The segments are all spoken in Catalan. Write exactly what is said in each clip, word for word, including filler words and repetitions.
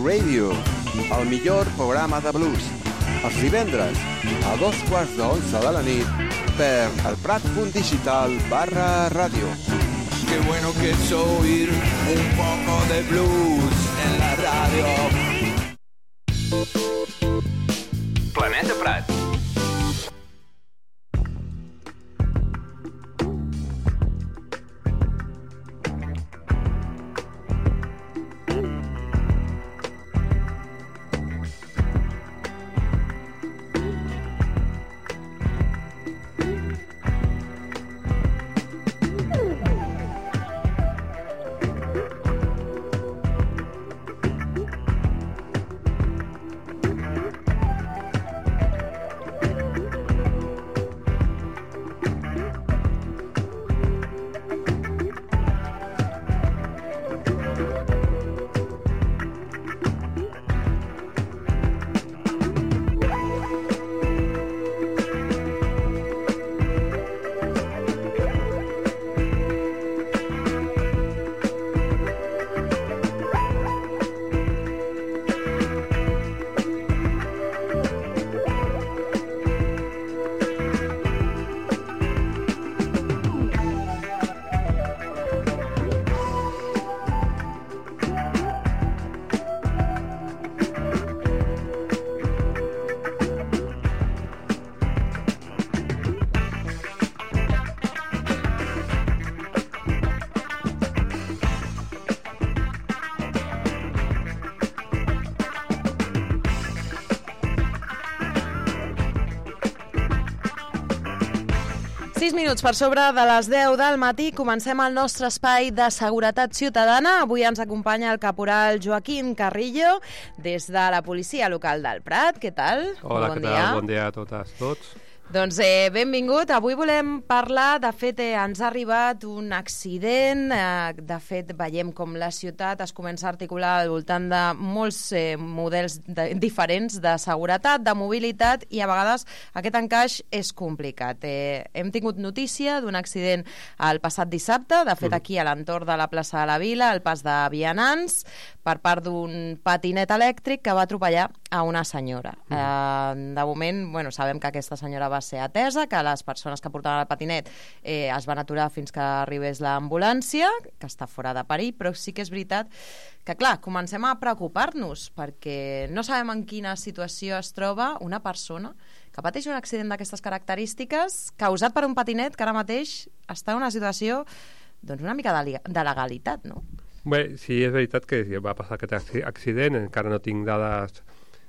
Blues Radio, el millor programa de blues. Els divendres, a dos quarts d'onze de la nit, per el Prat punt digital barra ràdio. Qué bueno que es oír un poco de blues en la radio. Planeta Prat. sis minuts per sobre de les deu del matí comencem el nostre espai de seguretat ciutadana. Avui ens acompanya el caporal Joaquín Carrillo des de la policia local del Prat. Què tal? Hola, bon què dia. tal? Bon dia a totes, tots. Doncs eh, benvingut. Avui volem parlar, de fet eh, ens ha arribat un accident, eh, de fet veiem com la ciutat es comença a articular al voltant de molts eh, models de, diferents de seguretat, de mobilitat, i a vegades aquest encaix és complicat. Eh, hem tingut notícia d'un accident el passat dissabte, de fet aquí a l'entorn de la plaça de la Vila, al pas de vianants, per part d'un patinet elèctric que va atropellar a una senyora. Mm. Eh, de moment, bueno, sabem que aquesta senyora va ser atesa, que les persones que portaven el patinet eh, es van aturar fins que arribés l'ambulància, que està fora de perill, però sí que és veritat que, clar, comencem a preocupar-nos perquè no sabem en quina situació es troba una persona que pateix un accident d'aquestes característiques causat per un patinet que ara mateix està en una situació doncs una mica de, de legalitat, no? Bé, sí, és veritat que va passar aquest accident, encara no tinc dades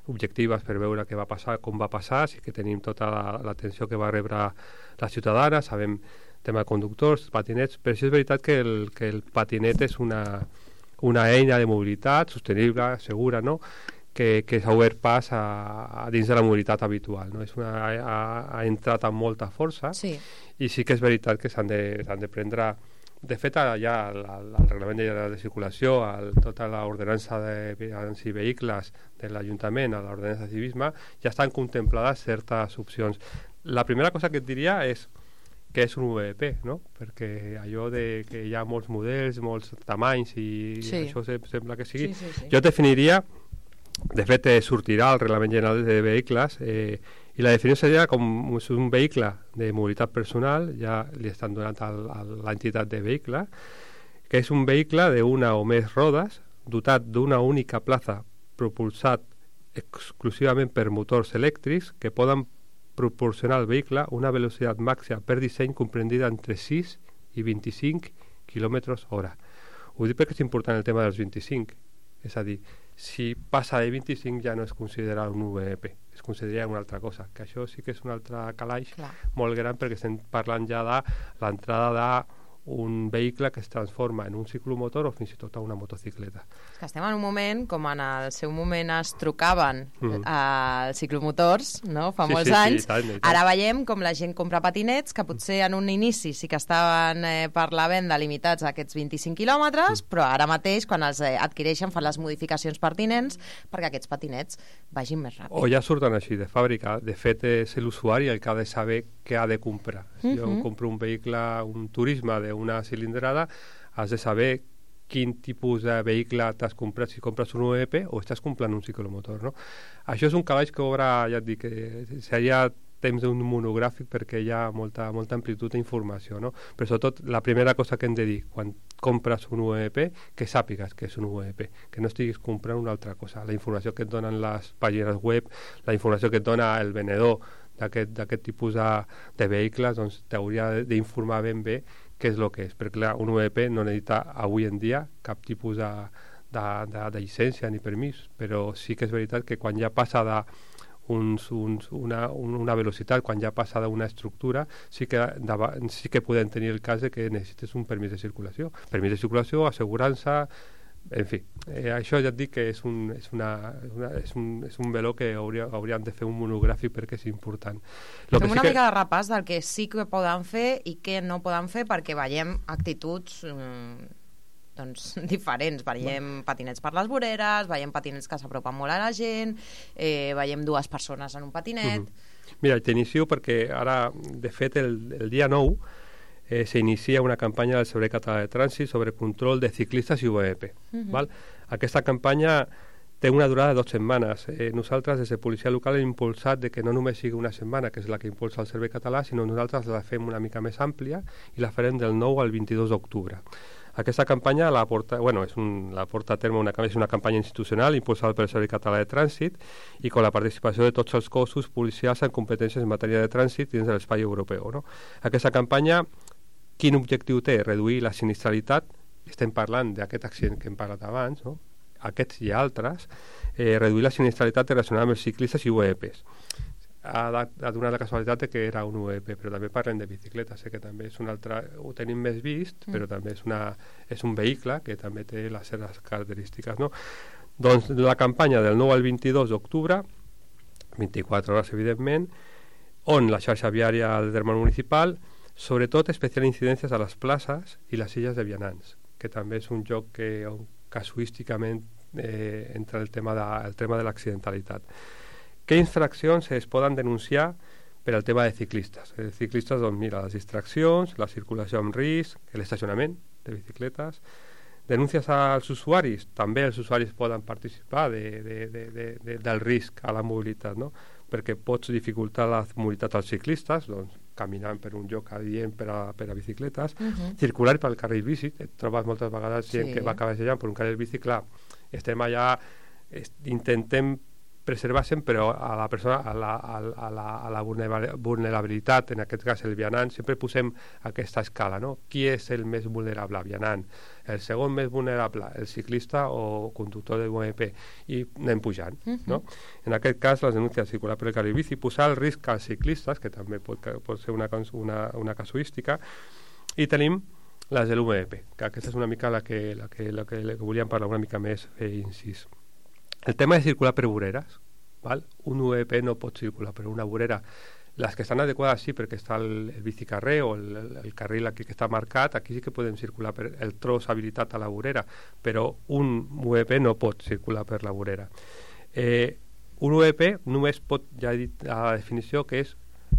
objectives per veure què va passar, com va passar, sí que tenim tota l'atenció que va rebre la ciutadana, sabem tema de conductors, patinets, però sí és veritat que el, que el patinet és una, una eina de mobilitat sostenible, segura, no?, que, que s'ha obert pas a, a dins de la mobilitat habitual, no? És una, ha, ha entrat amb molta força, sí. I sí que és veritat que s'han de, s'han de prendre. De fet, ja el, el reglament de, de circulació, el, tota l'ordenança de vianants i vehicles de l'Ajuntament, a l'ordenança de civisme, ja estan contemplades certes opcions. La primera cosa que et diria és que és un U V P, no? Perquè allò de que hi ha molts models, molts tamanys i sí. Això sembla que sigui. Sí, sí, sí. Jo definiria, de fet eh, sortirà el reglament general de vehicles eh, i la definició seria com un vehicle de mobilitat personal, ja li estan donant al, a l'entitat de vehicle, que és un vehicle d'una o més rodes, dotat d'una única plaça, propulsat exclusivament per motors elèctrics, que poden proporcionar al vehicle una velocitat màxima per disseny comprendida entre sis i vint-i-cinc quilòmetres hora. Ho dic perquè és important el tema dels vint-i-cinc, és a dir, si passa de vint-i-cinc ja no es considera un U V P, es consideraria una altra cosa, que això sí que és un altre calaix Clar. Molt gran, perquè estem parlant ja de l'entrada d'un vehicle que es transforma en un ciclomotor o fins i tot a una motocicleta. Que estem en un moment, com en el seu moment es trucaven mm. als ciclomotors, no? Fa sí, molts sí, anys, sí, tant, tant. Ara veiem com la gent compra patinets, que potser en un inici sí que estaven eh, per la venda limitats a aquests vint-i-cinc quilòmetres, mm. però ara mateix, quan els eh, adquireixen, fan les modificacions pertinents perquè aquests patinets vagin més ràpid. O ja surten així de fàbrica. De fet, és l'usuari el que ha de saber què ha de comprar. Si mm-hmm. jo compro un vehicle, un turisme d'una cilindrada, has de saber quin tipus de vehicle t'has comprat, si compres un U E P o estàs comprant un ciclomotor, no? Això és un calaix que obre, ja et dic, que seria temps d'un monogràfic perquè hi ha molta, molta amplitud d'informació, no? Però sobretot la primera cosa que hem de dir quan compres un U E P, que sàpigues que és un U E P, que no estiguis comprant una altra cosa. La informació que et donen les pàgines web, la informació que et dona el venedor d'aquest tipus de, de vehicles, doncs t'hauria d'informar ben bé què és el que és, perquè clar, un U E P no necessita avui en dia cap tipus de, de, de, de llicència ni permís, però sí que és veritat que quan ja passa de Uns, uns, una, una velocitat, quan ja passa d'una estructura, sí que, de, sí que podem tenir el cas de que necessites un permís de circulació. Permís de circulació, assegurança, en fi. Eh, això ja et dic que és un, és una, una, és un, és un veló que hauria, hauríem de fer un monogràfic perquè és important. Lo Fem que una sí que... mica de repàs del que sí que poden fer i què no poden fer perquè veiem actituds... Mm, doncs, diferents. Veiem patinets per les voreres, veiem patinets que s'apropen molt a la gent, eh, veiem dues persones en un patinet... Mm-hmm. Mira, t'inicio perquè ara, de fet, el, el dia nou eh, s'inicia una campanya del Servei Català de Trànsit sobre control de ciclistes i U E P. Mm-hmm. Val? Aquesta campanya té una durada de dues setmanes. Eh, nosaltres, des de Policia Local, hem impulsat de que no només sigui una setmana, que és la que impulsa el Servei Català, sinó nosaltres la fem una mica més àmplia i la farem del nou al vint-i-dos d'octubre. Aquesta campanya la porta, bueno, és un, la porta a terme una, és una campanya institucional impulsada pel Servei Català de Trànsit i amb la participació de tots els cossos policials amb competències en matèria de trànsit dins de l'espai europeu. No? Aquesta campanya, quin objectiu té? Reduir la sinistralitat, estem parlant d'aquest accident que hem parlat abans, no? Aquests i altres, eh, reduir la sinistralitat relacionada amb els ciclistes i U E Ps. Ha, ha donat la casualitat que era un U E P, però també parlem de bicicletes, eh, que també és un altre, ho tenim més vist, mm. però també és, una, és un vehicle que també té les seves característiques, no? Doncs la campanya del nou al vint-i-dos d'octubre, vint-i-quatre hores evidentment, on la xarxa viària del terme municipal, sobretot especial incidències a les places i les illes de vianants, que també és un lloc que on casuísticament eh, entra el tema de, el tema de l'accidentalitat. Què infraccions es poden denunciar per al tema de ciclistes? Els ciclistes, doncs mira, les distraccions, la circulació amb risc, l'estacionament de bicicletes, denúncies als usuaris, també els usuaris poden participar de, de, de, de, de, del risc a la mobilitat, no? Perquè pots dificultar la mobilitat als ciclistes, doncs caminant per un lloc adient per a, per a bicicletes, uh-huh. circular pel carril bici, et trobes moltes vegades gent sí. que va cabecejant per un carril bici, clar, estem allà, est, intentem preservar-se'n, però a la persona, a la, a la, a la, a la vulnerabilitat, en aquest cas el vianant, sempre posem aquesta escala, no? Qui és el més vulnerable? Vianant. El segon més vulnerable, el ciclista o conductor de U E P, i anem pujant, uh-huh. no? En aquest cas, les denúncies circular per el carril bici, posar el risc als ciclistes, que també pot, pot ser una, una, una casuística, i tenim les de l'U E P, que aquesta és una mica la que, la que, la que, la que volíem parlar una mica més eh, incís. El tema de circular per voreres, val? Un U E P no pot circular per una vorera. Les que estan adequades sí, perquè està el, el bicicarrer o el, el, el carril aquí que està marcat, aquí sí que podem circular per el tros habilitat a la vorera, però un U E P no pot circular per la vorera. Eh, un U E P només pot, ja he dit a la definició, que és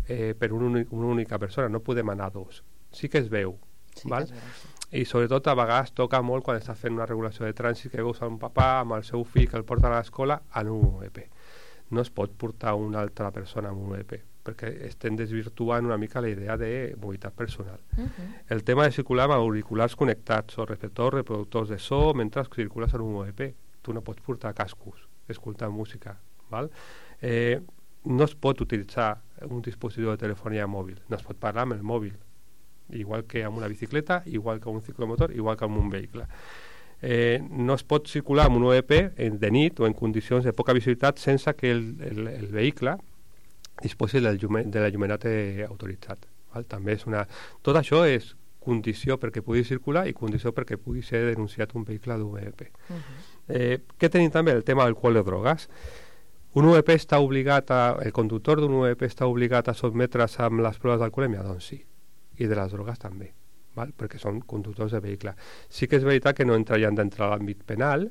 eh, per un únic, una única persona, no podem anar dos. Sí que es veu, sí val? Que es veu, sí. I sobretot a vegades toca molt quan està fent una regulació de trànsit que veus un papà amb el seu fill que el porta a l'escola en un U E P. No es pot portar una altra persona amb un U E P perquè estem desvirtuant una mica la idea de mobilitat personal. Uh-huh. El tema de circular amb auriculars connectats o receptors reproductors de so mentre circules en un U E P. Tu no pots portar cascos escoltant música, val? Eh, no es pot utilitzar un dispositiu de telefonia mòbil, no es pot parlar amb el mòbil, igual que amb una bicicleta, igual que amb un ciclomotor, igual que amb un vehicle. Eh, no es pot circular amb un U E P en, de nit o en condicions de poca visibilitat sense que el, el, el vehicle disposi del llume, de l'allumenat autoritzat. Val? També és una... Tot això és condició perquè pugui circular i condició perquè pugui ser denunciat un vehicle d'U E P. Uh-huh. eh, què tenim també? El tema d'alcohol i drogues. Un U E P està obligat a... El conductor d'un U E P està obligat a sotmetre's amb les proves d'alcoholèmia? Doncs sí. I de les drogues també, val? Perquè són conductors de vehicle. Sí que és veritat que no entrarien dintre l'àmbit penal,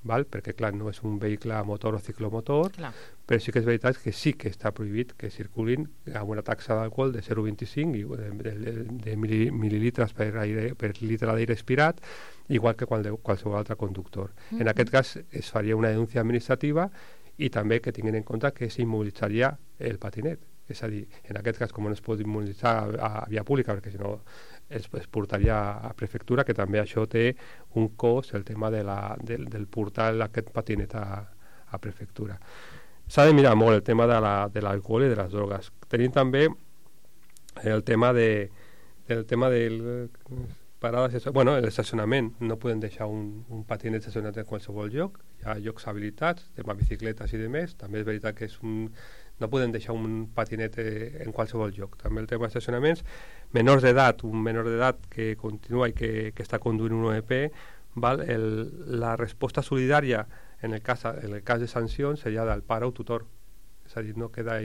val? Perquè clar, no és un vehicle a motor o ciclomotor, clar. Però sí que és veritat que sí que està prohibit que circulin amb una taxa d'alcohol de zero coma vint-i-cinc i de, de, de, de mililitres per, aire, per litre d'aire expirat igual que qualsevol altre conductor. Mm-hmm. En aquest cas es faria una denúncia administrativa i també que tinguin en compte que s'immobilitzaria el patinet. És a dir, en aquest cas, com no es pot immobilitzar a, a via pública, perquè si no es, es portaria a prefectura, que també això té un cost, el tema de la, del, del portar aquest patinet a, a prefectura. S'ha de mirar molt el tema de l'alcohol la, de i de les drogues. Tenim també el tema de, del tema del parades, bueno, l'estacionament. No podem deixar un, un patinet estacionat en qualsevol lloc. Hi ha llocs habilitats, tema bicicletes i demés. També és veritat que és un, no podem deixar un patinet en qualsevol lloc. També el tema d'estacionaments. Menors d'edat, un menor d'edat que continua i que, que està conduint un O E P, val? El, la resposta solidària en el, cas, en el cas de sancions seria del pare o tutor. És a dir, no queda,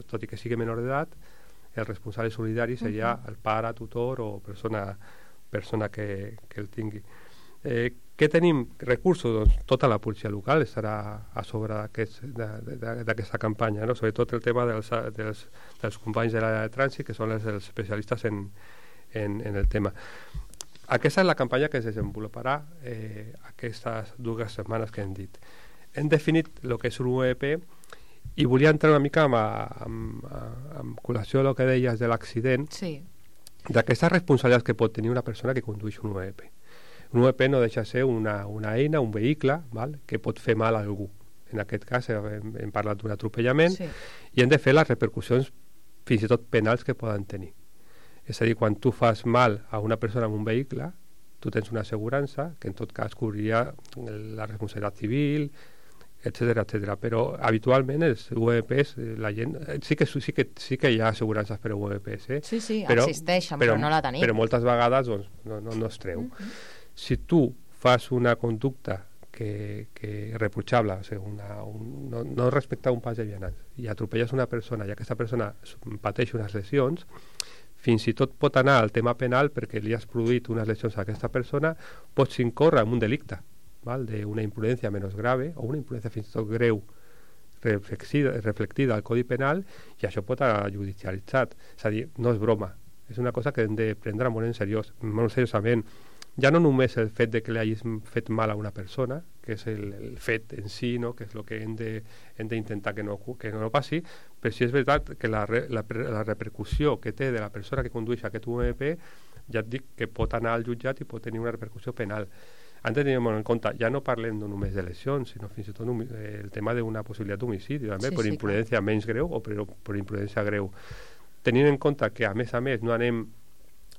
tot i que sigui menor d'edat, el responsable solidari seria uh-huh. el pare, tutor o persona, persona que, que el tingui. Eh, què tenim? Recursos? Doncs tota la policia local estarà a sobre d'aquesta campanya, no? Sobretot el tema dels, dels, dels companys de la de trànsit, que són els, els especialistes en, en, en el tema. Aquesta és la campanya que es desenvoluparà eh, aquestes dues setmanes que hem dit. Hem definit el que és un O E P i volia entrar una mica amb, amb, amb col·lació del que deies de l'accident, sí. d'aquestes responsabilitats que pot tenir una persona que condueix un O E P. Un O E P no deixa ser una, una eina, un vehicle, val? Que pot fer mal a algú. En aquest cas hem, hem parlat d'un atropellament sí. i hem de fer les repercussions fins i tot penals que poden tenir. És a dir, quan tu fas mal a una persona amb un vehicle, tu tens una assegurança que en tot cas cobriria la responsabilitat civil, etcètera, etcètera. Però habitualment els O E Ps, la gent, sí que, sí que, sí que hi ha assegurances per a O E Ps, eh? Sí, sí, però, existeixen, però, però no la tenim. Però moltes vegades doncs, no, no, no es treu. Mm-hmm. Si tu fas una conducta que, que reprotxable, o sigui, una, un, no, no respectar un pas de vianants, i atropelles una persona i aquesta persona pateix unes lesions, fins i tot pot anar al tema penal perquè li has produït unes lesions a aquesta persona, pots incórrer en un delicte, val? D'una imprudència menys grave o una imprudència fins i tot greu reflexida, reflectida al Codi Penal, i això pot anar judicialitzat. És a dir, no és broma, és una cosa que hem de prendre molt en seriós, molt seriosament. Ja no només el fet de que li hagis fet mal a una persona, que és el, el fet en si, no? Que és el que hem d'intentar que, no, que no passi, però sí és veritat que la, la, la repercussió que té de la persona que condueix aquest O E P, ja et dic que pot anar al jutjat i pot tenir una repercussió penal. Han de tenir molt en compte, ja no parlem no només de lesions, sinó fins i tot un, el tema d'una possibilitat d'homicidi, també, sí, per sí, imprudència clar. Menys greu o per, per imprudència greu. Tenint en compte que, a més a més, no anem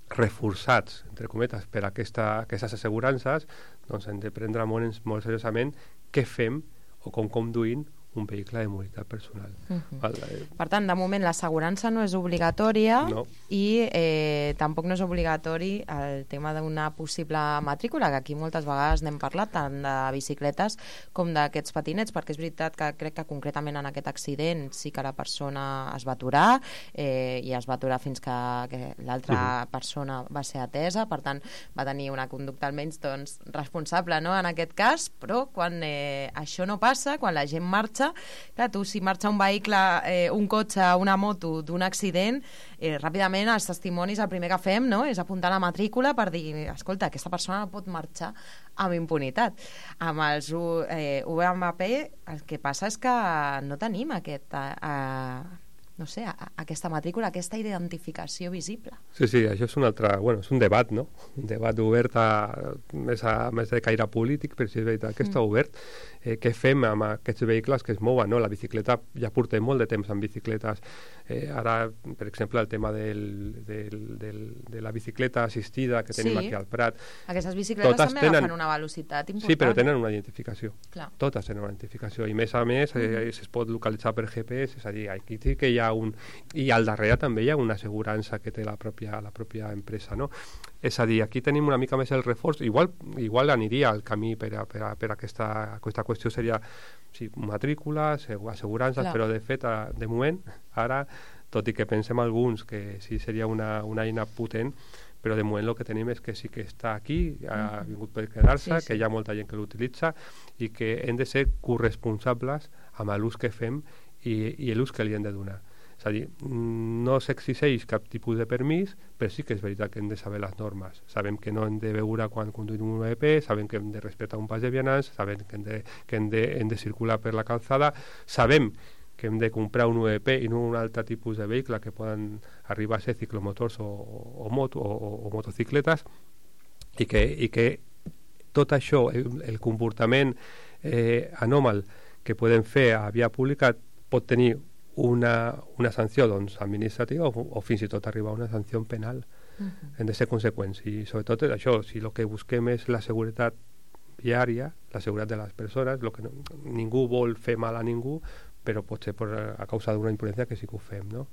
reforçats, entre cometes, per aquesta, aquestes assegurances, doncs hem de prendre molt, molt seriosament què fem o com conduïm un vehicle de mobilitat personal. Uh-huh. Val? Per tant, de moment l'assegurança no és obligatòria no. i eh, tampoc no és obligatori el tema d'una possible matrícula, que aquí moltes vegades n'hem parlat, tant de bicicletes com d'aquests patinets, perquè és veritat que crec que concretament en aquest accident sí que la persona es va aturar eh, i es va aturar fins que, que l'altra uh-huh. persona va ser atesa, per tant va tenir una conducta almenys doncs, responsable, no?, en aquest cas, però quan eh, això no passa, quan la gent marxa, clar, tu si marxa un vehicle, eh, un cotxe, una moto d'un accident, eh, ràpidament els testimonis el primer que fem, no?, és apuntar la matrícula per dir, escolta, aquesta persona no pot marxar amb impunitat. Amb els eh, U M P el que passa és que no tenim aquest eh, no sé, a, a aquesta matrícula, aquesta identificació visible. Sí, sí, això és un altre, bueno, és un debat, no? Un debat obert a, més, a, més de caire polític, però si és veritat que està obert. Eh, què fem amb aquests vehicles que es mouen, no? La bicicleta, ja portem molt de temps amb bicicletes. Eh, ara, per exemple, el tema del, del, del, de la bicicleta assistida que tenim sí. aquí al Prat. Aquestes bicicletes Totes també tenen... agafen una velocitat important. Sí, però tenen una identificació. Clar. Totes tenen una identificació. I més a més, eh, mm. es pot localitzar per G P S, és a dir, aquí sí que hi ha un... I al darrere també hi ha una assegurança que té la pròpia, la pròpia empresa, no? És a dir, aquí tenim una mica més el reforç. Igual, igual aniria el camí per a, per a, per a aquesta, aquesta qüestió seria sí, matrícula, assegurances, Clar. Però de fet, de moment, ara, tot i que pensem alguns que sí seria una, una eina potent, però de moment el que tenim és que sí que està aquí, ha vingut per quedar-se, sí, sí. que hi ha molta gent que l'utilitza i que hem de ser corresponsables amb l'ús que fem i, i l'ús que li hem de donar. És a dir, no s'exigeix cap tipus de permís, però sí que és veritat que hem de saber les normes. Sabem que no hem de beure quan conduïm un U E P, sabem que hem de respectar un pas de vianants, sabem que hem de, que hem de, hem de circular per la calçada, sabem que hem de comprar un U E P i no un altre tipus de vehicle que poden arribar a ser ciclomotors o, o, moto, o, o motocicletes, i que, i que tot això, el, el comportament eh, anòmal que podem fer a via pública pot tenir una, una sanció doncs, administrativa o, o fins i tot arribar a una sanció penal. Uh-huh. Hem de ser conseqüents. I sobretot això, si el que busquem és la seguretat viària, la seguretat de les persones, lo que no, ningú vol fer mal a ningú, però potser per, a causa d'una imprudència que sí que ho fem, no?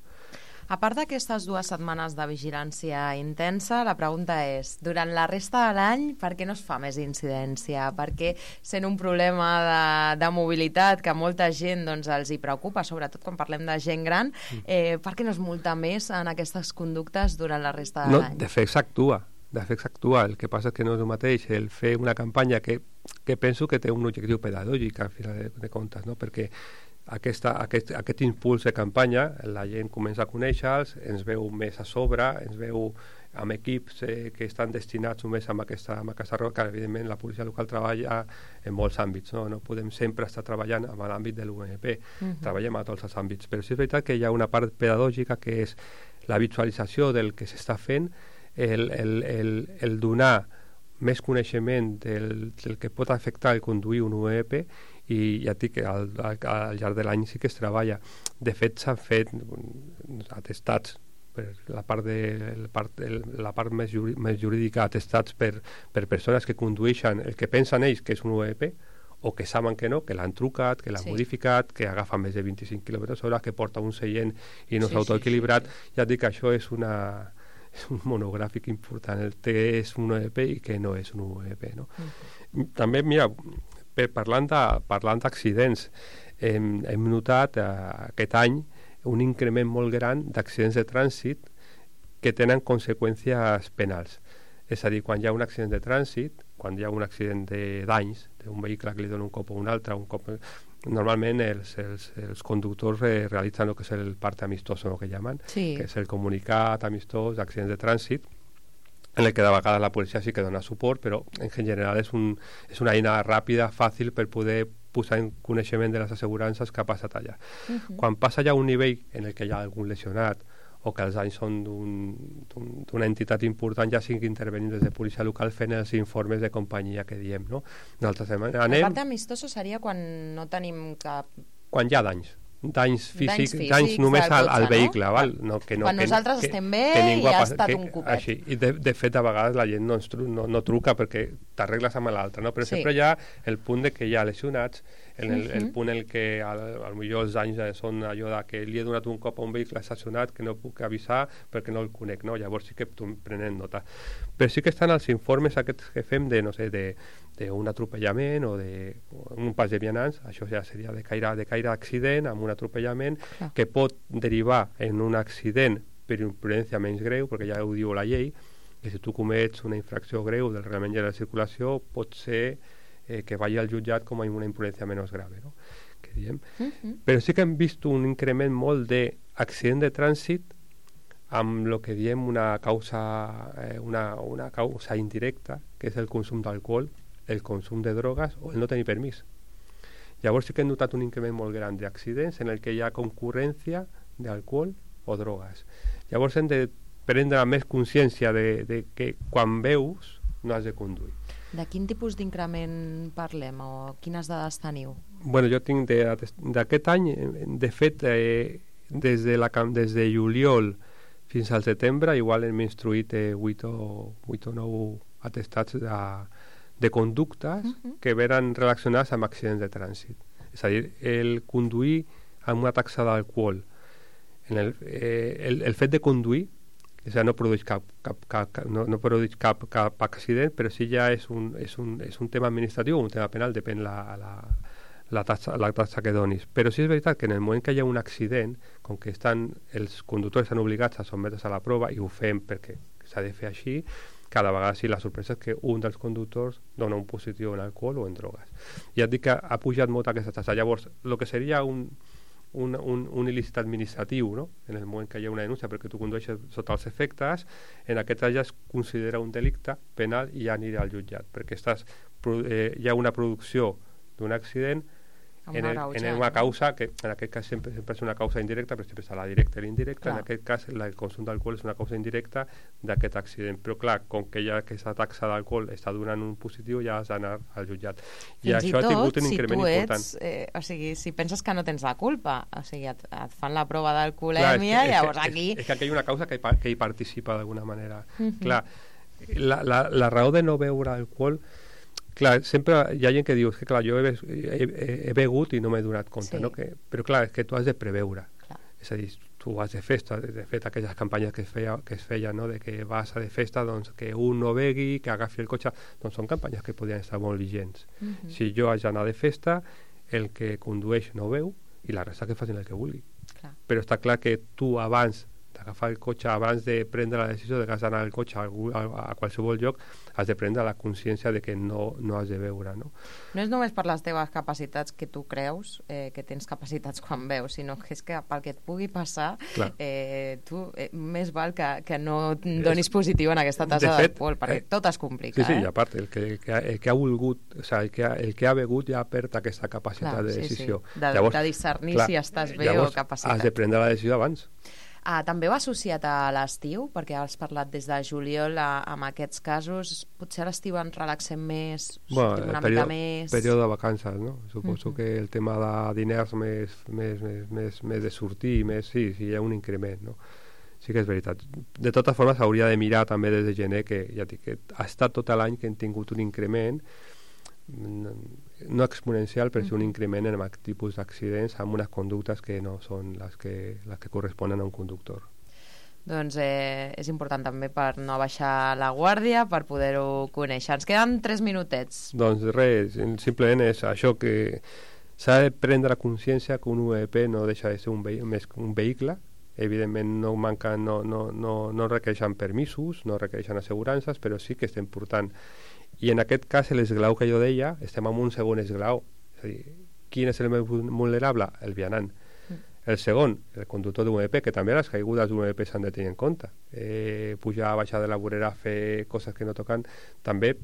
A part d'aquestes dues setmanes de vigilància intensa, la pregunta és, durant la resta de l'any, per què no es fa més incidència? Per què, sent un problema de, de mobilitat que molta gent doncs, els hi preocupa, sobretot quan parlem de gent gran, eh, per què no es multa més en aquestes conductes durant la resta de no, l'any? De fet, s'actua. De fet, s'actua. El que passa és que no és el mateix el fer una campanya que, que penso que té un objectiu pedagògic, al final de, de comptes, no? Perquè Aquesta, aquest, aquest impuls de campanya, la gent comença a conèixer-los, ens veu més a sobre, ens veu amb equips eh, que estan destinats només amb aquesta, amb aquesta roca, que evidentment la policia local treballa en molts àmbits, no, no podem sempre estar treballant en l'àmbit de l'U M P, uh-huh. Treballem a tots els àmbits, però sí és veritat que hi ha una part pedagògica que és la visualització del que s'està fent, el, el, el, el donar més coneixement del, del que pot afectar el conduir un U E P, i ja et dic que al, al, al llarg de l'any sí que es treballa. De fet, s'han fet atestats per la part, de, la part, la part més, jurí, més jurídica, atestats per, per persones que condueixen el que pensen ells que és un U E P, o que saben que no, que l'han trucat, que l'han sí. modificat, que agafa més de vint-i-cinc quilòmetres hora, que porta un seient i no s'ha sí, autoequilibrat. Sí, sí, sí. Ja et dic que això és una... és un monogràfic important, el que és un U E P i que no és un U E P, no? Uh-huh. També, mira, per, parlant de, parlant d'accidents, hem, hem notat eh, aquest any un increment molt gran d'accidents de trànsit que tenen conseqüències penals. És a dir, quan hi ha un accident de trànsit, quan hi ha un accident de danys, d'un vehicle que li dona un cop o un altre, un cop... normalment els, els, els conductors eh, realitzen el que és el parte amistoso, el que llaman, sí. que és el comunicat amistós d'accidents de trànsit, en el que de vegades la policia sí que dona suport, però en general és, un, és una eina ràpida, fàcil per poder posar en coneixement de les assegurances que ha passat allà. Uh-huh. Quan passa ja un nivell en el que hi ha algun lesionat o que els danys són d'una un, entitat important, ja sigui intervenint des de policia local fent els informes de companyia que diem, no? Nosaltres anem... La part amistosa seria quan no tenim cap... Quan hi ha danys. Danys físics, danys, físics, danys només al, al vehicle, no? Val? No, que no, quan que, nosaltres que, estem bé i ha estat que, un copet. Així. I de, de fet, a vegades la gent no, tru, no, no truca perquè t'arregles amb l'altre, no? Però sí. sempre hi ha el punt de que hi ha lesionats, en el, uh-huh. el punt en què potser els danys són allò de que li he donat un cop a un vehicle estacionat que no puc avisar perquè no el conec, no? Llavors sí que prenen nota. Però sí que estan els informes aquests que fem de, no sé, de d'un atropellament o d'un pas de vianants, això ja seria de caire, de caire accident amb un atropellament ah. que pot derivar en un accident per imprudència menys greu, perquè ja ho diu la llei, que si tu comets una infracció greu del reglament de la circulació pot ser eh, que vagi al jutjat com a una imprudència menys grave, no? Que diem. Uh-huh. Però sí que hem vist un increment molt d'accident de trànsit amb el que diem una causa, eh, una, una causa indirecta, que és el consum d'alcohol, el consum de drogues o el no tenir permís. Llavors sí que hem notat un increment molt gran d'accidents en el que hi ha concurrència d'alcohol o drogues. Llavors hem de prendre més consciència de, de que quan veus no has de conduir. De quin tipus d'increment parlem o quines dades teniu? Bueno, jo tinc d'aquest any, de fet, eh, des, de la, des de juliol fins al setembre, igual hem instruït eh, vuit o nou atestats de de conductes uh-huh. que veren relacionats amb accidents de trànsit. És a dir, el conduir amb una taxa d'alcohol, en el, eh, el, el fet de conduir, és a dir, no produeix cap, cap, cap, no, no produeix cap, cap accident, però sí ja és un, és un, és un tema administratiu o un tema penal, depèn la, la, la, taxa, la taxa que donis. Però sí és veritat que en el moment que hi ha un accident, com que estan, els conductors estan obligats a sotmetre's a la prova, i ho fem perquè s'ha de fer així, cada vegada sí, la sorpresa és que un dels conductors dona un positiu en alcohol o en drogues. Ja et dic que ha pujat molt aquesta taxa. Llavors, el que seria un, un, un, un il·lícit administratiu, no? En el moment que hi ha una denúncia perquè tu condueixes sota els efectes, en aquest cas ja es considera un delicte penal i ja anirà al jutjat, perquè estàs, eh, hi ha una producció d'un accident en, el, en una causa que en aquest cas sempre, sempre és una causa indirecta, però sempre està la directa i l'indirecta. En aquest cas el consum d'alcohol és una causa indirecta d'aquest accident, però clar, com que ja aquesta taxa d'alcohol està donant un positiu, ja has d'anar al jutjat. I Fins això i ha tingut un si increment ets, important. Eh, o sigui, si penses que no tens la culpa, o sigui, et, et fan la prova d'alcoholèmia, i llavors és, aquí... És, és que aquí hi ha una causa que hi, que hi participa d'alguna manera. Uh -huh. Clar, la, la, la raó de no beure alcohol, clar, sempre hi ha gent que diu que clar, jo he, he, he begut i no m'he donat compte, sí. No? Que, però clar, és que tu has de preveure, clar. És a dir, tu vas de festa, de fet aquelles campanyes que es feia, que es feien, no? De que vas a de festa, doncs que un no begui, que agafi el cotxe, doncs són campanyes que podien estar molt vigents. Uh -huh. Si jo haig d'anar de festa, el que condueix no beu i la resta que facin el que vulgui. Clar. Però està clar que tu abans d'agafar el cotxe, abans de prendre la decisió de que has d'anar al cotxe a, a, a qualsevol lloc, has de prendre la consciència de que no, no has de beure, no? No és només per les teves capacitats que tu creus eh, que tens capacitats quan veus, sinó que és que pel que et pugui passar, eh, tu eh, més val que, que no donis positiu en aquesta tassa d'alcohol, perquè eh, tot es complica. Sí, sí, eh? i a part, el que, el, que ha, el que ha volgut, o sigui, el que ha, el que ha begut ja perd aquesta capacitat clar, de decisió. Sí, sí. De, llavors, de discernir clar, si estàs bé o capacitat. Has de prendre la decisió abans. Ah, també va associat a l'estiu, perquè has parlat des de juliol a, amb aquests casos. Potser a l'estiu ens relaxem més, bueno, sortim una període, mica més... període de vacances, no? Suposo uh-huh. que el tema de diners més, més, més, més, més de sortir, més, sí, sí, hi ha un increment, no? Sí que és veritat. De totes formes, hauria de mirar també des de gener, que ja dic que ha estat tot l'any que hem tingut un increment, no exponencial, però sí un increment en aquest tipus d'accidents amb unes conductes que no són les que, les que corresponen a un conductor. Doncs eh, és important també per no baixar la guàrdia, per poder-ho conèixer. Ens queden tres minutets. Doncs res, simplement és això que s'ha de prendre consciència que un U E P no deixa de ser un, vehi més un vehicle. Evidentment no manquen, no, no, no, no requereixen permisos, no requereixen assegurances, però sí que estem portant. I en aquest cas, l'esglau que jo deia, estem en un segon esglau. És a dir, quin és el més vulnerable? El vianant. Mm. El segon, el conductor d'un U E P, que també les caigudes d'un U E P s'han de tenir en compte. Eh, pujar, baixar de la vorera, fer coses que no toquen, també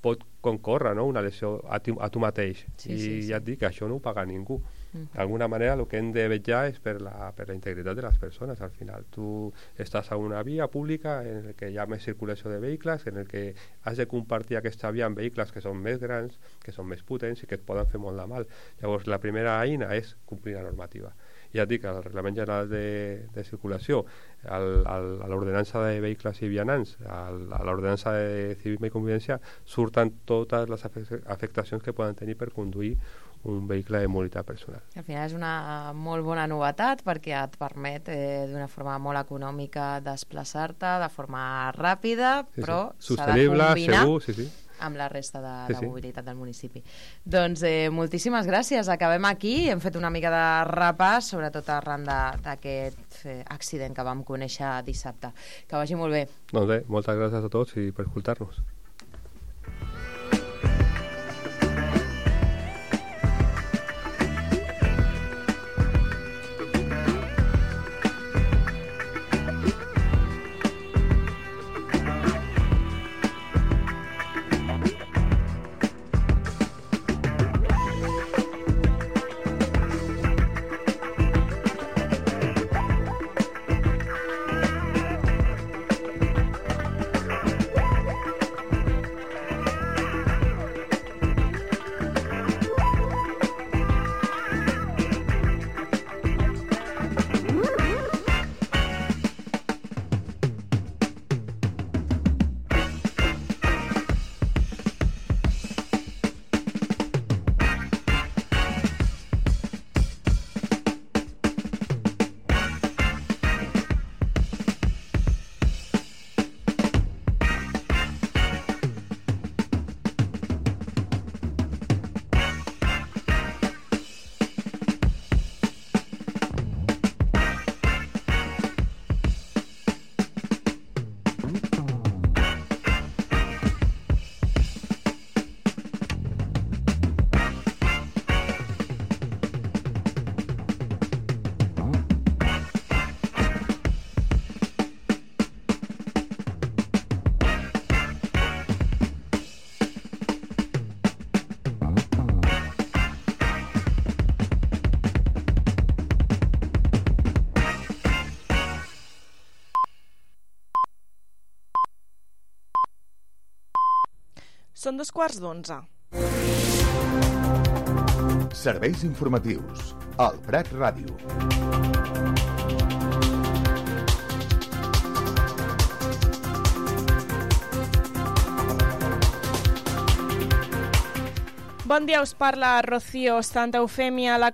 pot concórrer, no? Una lesió a tu, a tu mateix. Sí, I sí, sí. ja et dic que això no ho paga ningú. D'alguna manera el que hem de vetllar és per la, per la integritat de les persones. Al final tu estàs a una via pública en el que hi ha més circulació de vehicles, en el que has de compartir aquesta via amb vehicles que són més grans, que són més potents i que et poden fer molt de mal. Llavors la primera eina és complir la normativa. Ja et dic, el Reglament General de, de Circulació, el, el, a l'ordenança de vehicles i vianants, el, a l'ordenança de civisme i convivència, surten totes les afectacions que poden tenir per conduir un vehicle de mobilitat personal. Al final és una molt bona novetat perquè et permet eh, d'una forma molt econòmica desplaçar-te de forma ràpida, sí, però sí. s'ha de combinar segur, sí, sí. amb la resta de, sí, de sí. mobilitat del municipi. Doncs eh, moltíssimes gràcies. Acabem aquí. Hem fet una mica de repàs, sobretot arran d'aquest eh, accident que vam conèixer dissabte. Que vagi molt bé. Doncs bé, moltes gràcies a tots i per escoltar-nos. Són dos quarts d'onze. Serveis informatius. Al Prat Ràdio. Bon dia, us parla Rocío Santa Eufèmia. La